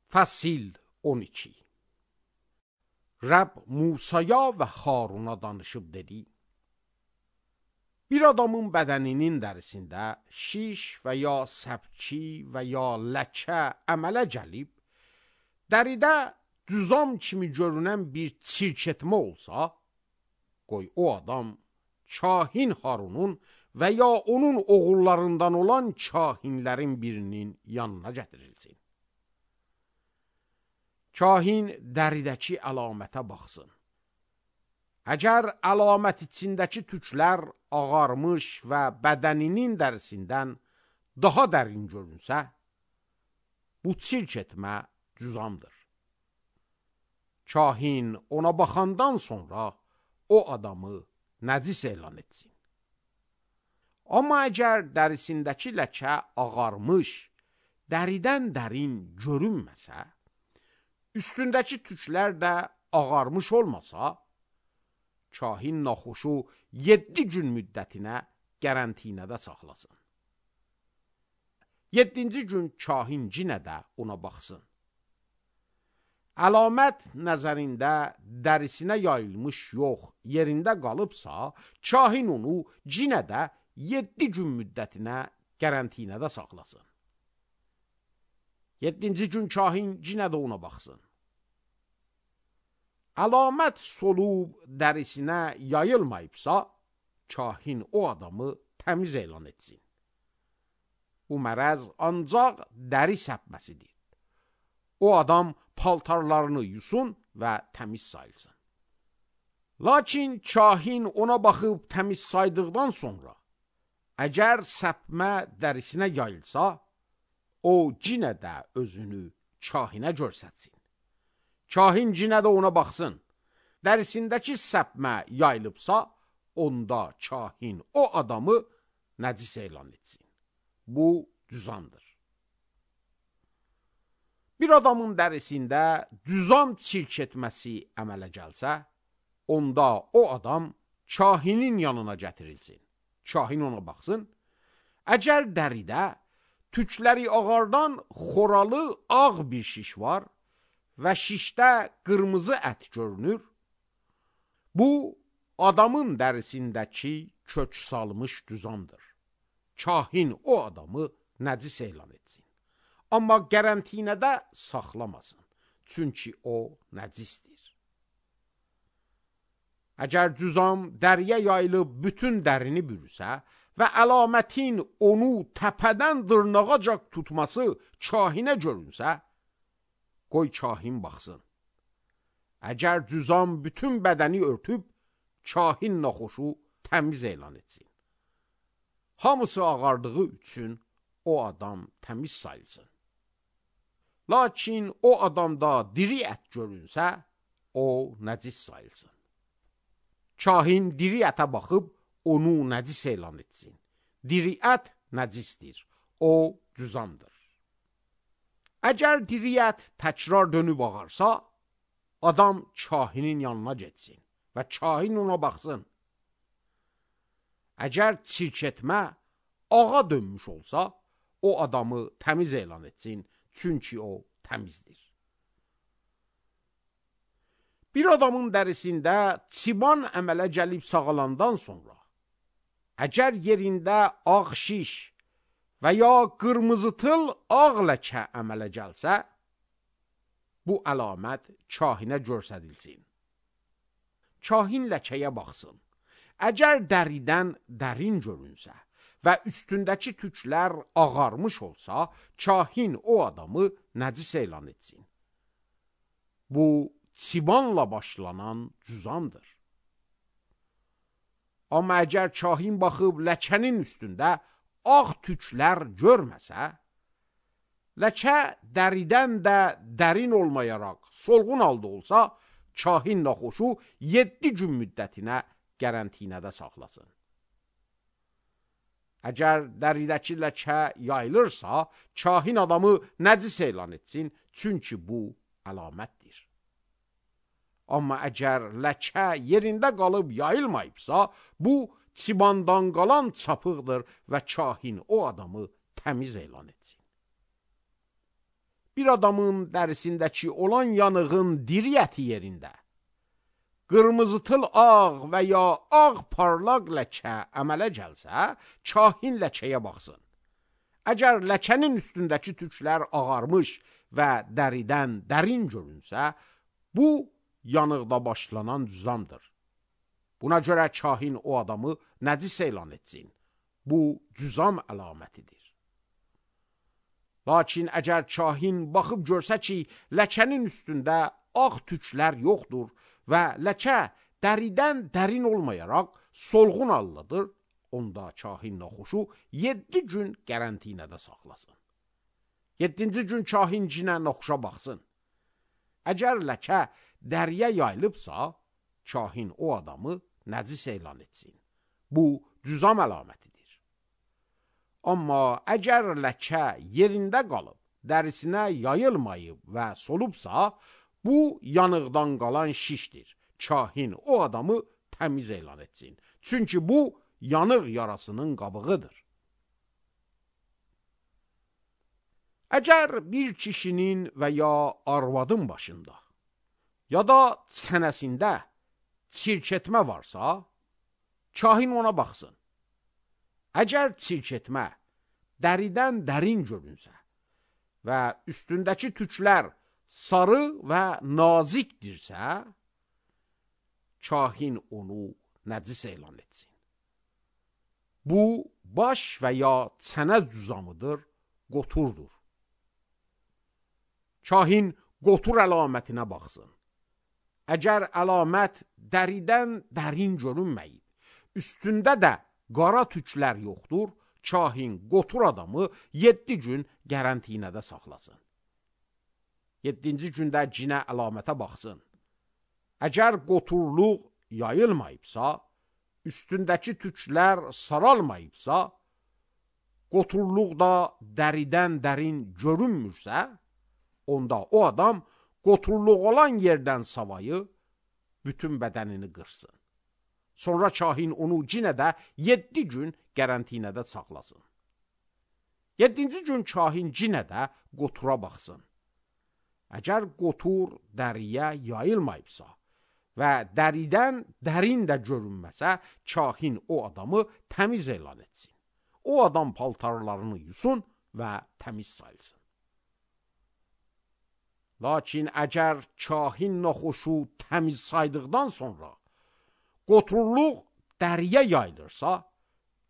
Fəsil 12. Rəbb Musaya və Haruna danışıb dedi: Bir adamın bədəninin dərisində şiş və ya səpki və ya ləkə əmələ gəlib, dəridə cüzam kimi görünən bir çirketmə olsa, qoy o adam kahin Harunun və ya onun oğullarından olan kahinlərin birinin yanına gətirilsin. Kahin dəridəki əlamətə baxsın. Əgər əlamət içindəki tüklər ağarmış və bədəninin dərisindən daha dərin görünsə, bu çirk etmə cüzamdır. Kahin ona baxandan sonra o adamı nəcis elan etsin. Amma əgər dərisindəki ləkə ağarmış, dəridən dərin görünməsə, üstündəki tüklər də ağarmış olmasa, kahin naxoşu 7 gün müddətinə qərantinada saxlasın. 7-ci gün kahin yenə də ona baxsın. Əlamət nəzərində dərisinə yayılmış yox, yerində qalıbsa, kahin onu yenə də 7 gün müddətinə qərantinada saxlasın. 7-ci gün kahin yenə də ona baxsın. Əlamət solub dərisinə yayılmayıbsa, kahin o adamı təmiz elan etsin. Bu mərəz ancaq dəri səpməsidir. O adam paltarlarını yusun və təmiz sayılsın. Lakin kahin ona baxıb təmiz saydıqdan sonra, əgər səpmə dərisinə yayılsa, o yenə də özünü kahinə görsətsin. Kahin yenə də ona baxsın. Dərisindəki səpmə yayılıbsa, onda kahin o adamı nəcis elan etsin. Bu cüzamdır. Bir adamın dərisində cüzam çirk etməsi əmələ gəlsə, onda o adam kahinin yanına gətirilsin. Kahin ona baxsın. Əgər dəridə tükləri ağardan xoralı ağ bir şiş var və şişdə qırmızı ət görünür, bu adamın dərisindəki kök salmış cüzamdır. Kahin o adamı nəcis elan etsin. Amma qərantinada saxlamasın, çünki o nəcisdir. Əgər cüzam dəriyə yayılıb bütün dərini bürüsə və əlamətin onu təpədən dırnağacaq tutması kahinə görünsə, qoy kahin baxsın. Əgər cüzam bütün bədəni örtüb, kahin naxoşu təmiz elan etsin. Hamısı ağardığı üçün o adam təmiz sayılsın. Lakin o adamda diri ət görünsə, o nəcis sayılsın. Kahin diri ətə baxıb, onu nəcis elan etsin. Diri ət nəcisdir, o cüzamdır. Əgər diri ət təkrar dönüb ağarsa, adam kahinin yanına getsin və kahin ona baxsın. Əgər çirk etmə ağa dönmüş olsa, o adamı təmiz elan etsin, çünki o təmizdir. Bir adamın dərisində çiban əmələ gəlib sağalandan sonra, əgər yerində ağ şiş və ya qırmızı tıl ağ ləkə əmələ gəlsə, bu əlamət kahinə görsədilsin. Kahin ləkəyə baxsın. Əgər dəridən dərin görünsə və üstündəki tüklər ağarmış olsa, kahin o adamı nəcis elan etsin. Bu çibanla başlanan cüzamdır. Amma əgər kahin baxıb ləkənin üstündə ağ tüklər görməsə, ləkə dəridən də dərin olmayaraq solğun halda olsa, kahin naxoşu 7 gün müddətinə qərantinada saxlasın. Əgər dəridəki ləkə yayılırsa, kahin adamı nəcis elan etsin, çünki bu əlamətdir. Amma əgər ləkə yerində qalıb yayılmayıbsa, bu çibandan qalan çapıqdır və kahin o adamı təmiz elan etsin. bir adamın dərisindəki olan yanığın diri əti yerində qırmızıtıl ağ və ya ağ parlaq ləkə əmələ gəlsə, kahin ləkəyə baxsın. Əgər ləkənin üstündəki tüklər ağarmış və dəridən dərin görünsə, bu yanıqda başlanan cüzamdır. Buna görə kahin o adamı nəcis elan etsin. Bu cüzam əlamətidir. Lakin əgər kahin baxıb görsə ki, ləkənin üstündə ağ tüklər yoxdur və ləkə dəridən dərin olmayaraq solğun haldadır, onda kahin naxoşu 7 gün qərantinada saxlasın. 7-ci gün kahin cinə naxoşa baxsın. Əgər ləkə dəriyə yayılıbsa, kahin o adamı nəcis elan etsin. Bu cüzam əlamətidir. Amma əgər ləkə yerində qalıb, dərisinə yayılmayıb və solubsa, bu yanıqdan qalan şişdir. Kahin o adamı təmiz elan etsin. Çünki bu yanıq yarasının qabığıdır. Əgər bir kişinin və ya arvadın başında ya da çənəsində çirketmə varsa, kahin ona baxsın. Əgər çirketmə dəridən dərin görünsə və üstündəki tüklər sarı və nazikdirsə, kahin onu nəcis elan etsin. Bu, baş və ya çənə cüzamıdır, qoturdur. Kahin qotur əlamətinə baxsın. Əgər əlamət dəridən dərin görünməyib, üstündə də qara tüklər yoxdur, kahin qotur adamı 7 gün qərantinada saxlasın. 7-ci gündə cinə əlamətə baxsın. Əgər qoturluq yayılmayıbsa, üstündəki tüklər saralmayıbsa, qoturluq da dəridən dərin görünmürsə, onda o adam qoturluq olan yerdən savayı bütün bədənini qırsın. Sonra kahin onu cinə də 7 gün qərantinada saxlasın. 7-ci gün kahin cinə də qotura baxsın. Əgər qotur dəriyə yayılmayıbsa və dəridən dərin də görünməsə, kahin o adamı təmiz elan etsin. O adam paltarlarını yusun və təmiz sayılsın. Lakin əgər kahin naxoşu təmiz saydıqdan sonra qoturluq dəriyə yayılırsa,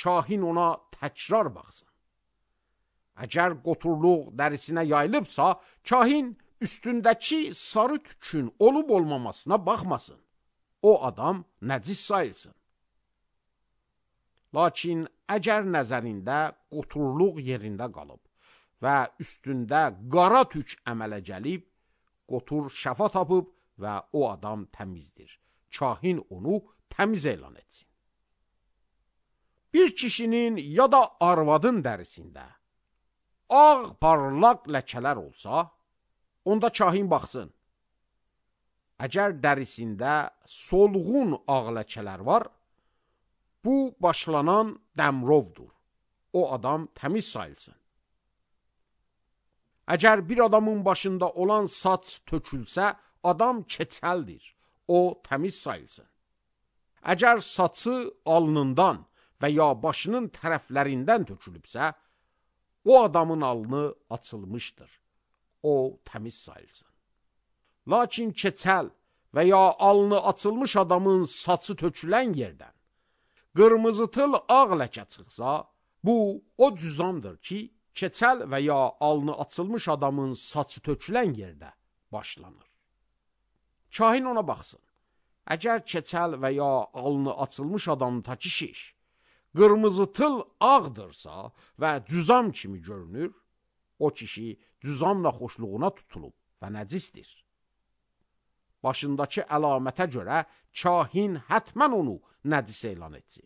kahin ona təkrar baxsın. Əgər qoturluq dərisinə yayılıbsa, kahin üstündəki sarı tükün olub olmamasına baxmasın. O adam nəcis sayılsın. Lakin əgər nəzərində qoturluq yerində qalıb və üstündə qara tük əmələ gəlib, qotur şəfa tapıb və o adam təmizdir. Kahin onu təmiz elan etsin. Bir kişinin ya da arvadın dərisində ağ parlaq ləkələr olsa, onda kahin baxsın. Əgər dərisində solğun ağ ləkələr var, bu başlanan dəmrovdur. O adam təmiz sayılsın. Əgər bir adamın başında olan saç tökülsə, adam keçəldir. O təmiz sayılsın. Əgər saçı alnından və ya başının tərəflərindən tökülübsə, o adamın alnı açılmışdır. O təmiz sayılsın. Lakin keçəl və ya alnı açılmış adamın saçı tökülən yerdən qırmızıtıl ağ ləkə çıxsa, bu o cüzamdır ki, keçəl və ya alnı açılmış adamın saçı tökülən yerdə başlanır. Kahin ona baxsın. Əgər keçəl və ya alnı açılmış adamın takı şiş qırmızıtıl ağdırsa və cüzam kimi görünür, o kişi cüzamla xoşluğuna tutulub və nəcisdir. Başındakı əlamətə görə kahin hətmən onu nəcis elan etsin.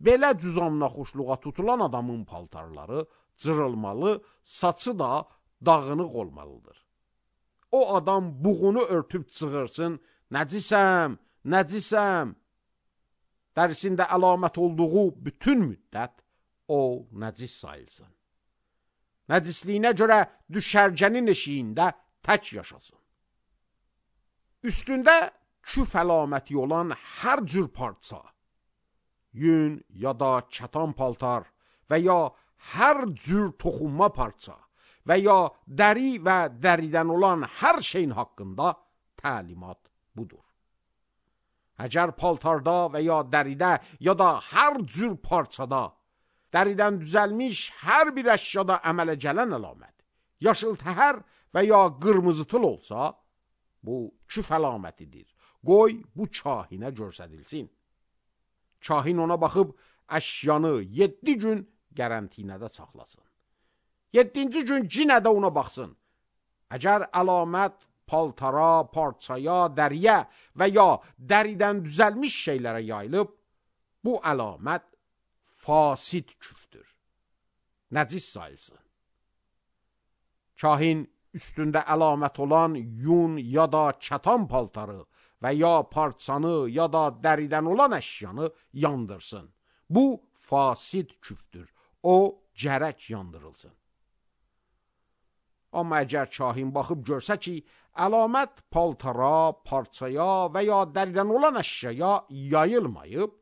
Belə cüzamla xoşluğa tutulan adamın paltarları cırılmalı, saçı da dağınıq olmalıdır. O adam buğunu örtüb çığırsın, nəcisəm, nəcisəm. Dərisində əlamət olduğu bütün müddət o nəcis sayılsın. Nəcisliyinə görə düşərgənin eşiyində tək yaşasın. Üstündə küf əlaməti olan hər cür parça, yün ya da kətan paltar və ya hər cür toxunma parça və ya dəri və dəridən olan hər şeyin haqqında təlimat budur. Əgər paltarda və ya dəridə ya da hər cür parçada, dəridən düzəlmiş hər bir əşyada əmələ gələn əlamət, yaşıl təhər və ya qırmızı tıl olsa, bu küf əlamətidir. Qoy bu kahinə göstərilsin. Kahin ona baxıb əşyanı 7 gün qərantinada saxlasın. 7-ci gün yenə də ona baxsın. Əgər əlamət paltara, parçaya, dəriyə və ya dəridən düzəlmiş şeylərə yayılıb, bu əlamət fasid küfdür. Nəcis sayılsın. Kahin üstündə əlamət olan yun ya da kətan paltarı və ya parçanı ya da dəridən olan əşyanı yandırsın. Bu fasid küfdür. O gərək yandırılsın. Amma əgər kahin baxıb görsə ki, əlamət paltara, parçaya və ya dəridən olan əşyaya yayılmayıb,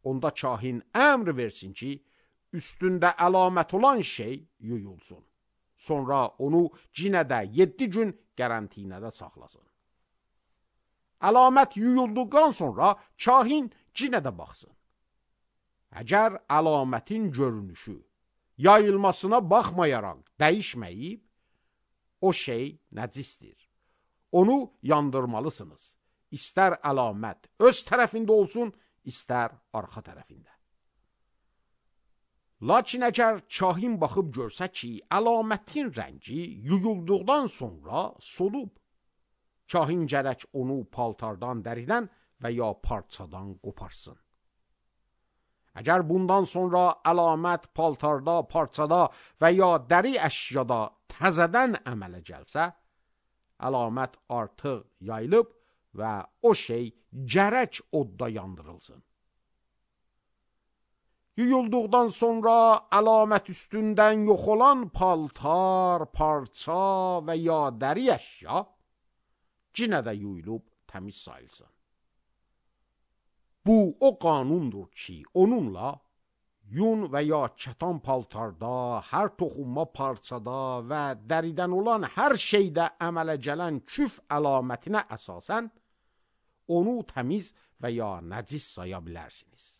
onda kahin əmr versin ki, üstündə əlamət olan şey yuyulsun. Sonra onu yenə də 7 gün qərantinada saxlasın. Əlamət yuyulduqdan sonra kahin yenə də baxsın. Əgər əlamətin görünüşü yayılmasına baxmayaraq dəyişməyib, o şey nəcisdir. Onu yandırmalısınız. İstər əlamət öz tərəfində olsun, istər arxa tərəfində. Lakin əgər kahin baxıb görsə ki, əlamətin rəngi yuyulduqdan sonra solub, kahin gərək onu paltardan, dəridən və ya parçadan qoparsın. Əgər bundan sonra əlamət paltarda, parçada və ya dəri əşyada təzədən əmələ gəlsə, əlamət artıq yayılıb və o şey gərək odda yandırılsın. Yuyulduqdan sonra əlamət üstündən yox olan paltar, parça və ya dəri əşya yenə də yuyulub təmiz sayılsın. Bu o qanundur ki, onunla yun və ya kətan paltarda, hər toxunma parçada və dəridən olan hər şeydə əmələ gələn küf əlamətinə əsasən onu təmiz və ya nəcis saya bilərsiniz.